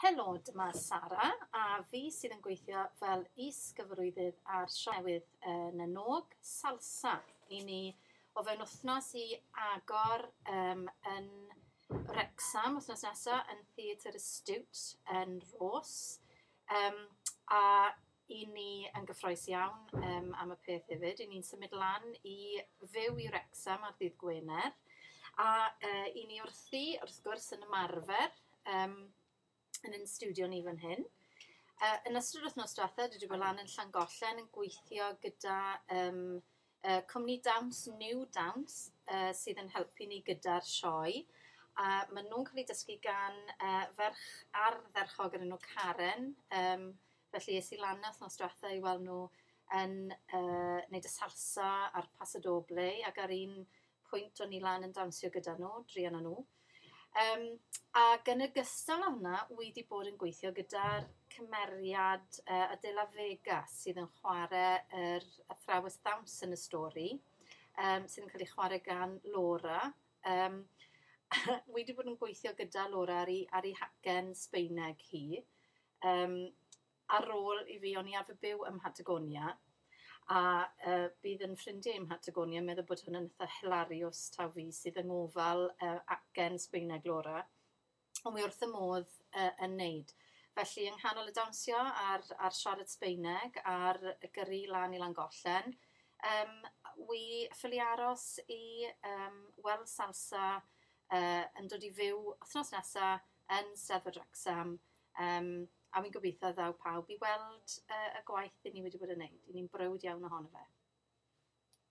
Helo, dyma Sara a fi sydd yn gweithio fel is-gyfarwyddydd ar sioe newydd Na nÓg, Salsa. I ni o fewn wythnos i agor yn Wrecsam wythnos nesa yn Theatr y Stiwt yn Rhos. A 'y ni yn gyffrous iawn am y peth hefyd. 'Y ni'n symud lan i fyw i Wrecsam ar ddydd Gwener a 'y ni wrthi wrth gwrs yn ymarfer yn ein stiwdio ni fan hyn. Yn ystod wythnos dwetha dwi 'di bod lan yn Llangollen yn gweithio gyda yym cwmni dawns New Dance sydd yn helpu ni gyda'r sioe. A ma' nhw'n ca'l 'u dysgu gan ferch ardderchog o'r enw Karen. Felly es i lan 'na wthnos dwetha i weld nhw yn neud y salsa a'r paso doble ac ar un pwynt o'n i lan yn dawnsio gyda nhw, druan â nhw. Ac yn ogystal â hwnna, wi 'di bod yn gweithio gyda'r cymeriad Adela Vega sydd yn chware yr athrawes ddawns yn y stori sydd yn ca'l ei chware gan Laura. Wi 'di bod yn gweithio gyda Laura ar 'i hacen Sbaeneg hi. Yym ar ôl i fi o'n i arfer byw ym Mhatagonia a bydd 'yn ffrindie i'm Mhatagonia yn meddwl bod hwn yn itha hilariws taw fi sydd yng ngofal acen Sbaeneg Laura. Ond wi wrth 'y modd yn neud. Felly yng nghanol y dawnsio a'r siarad Sbaeneg a'r gyrru lan i Langollen wi ffili aros i weld salsa yn dod i fyw wthnos nesa yn Steddfod Wrecsam yym a wi'n gobeithio ddaw pawb i weld y gwaith 'yn ni wedi bod yn neud. 'Yn ni'n browd iawn ohono fe.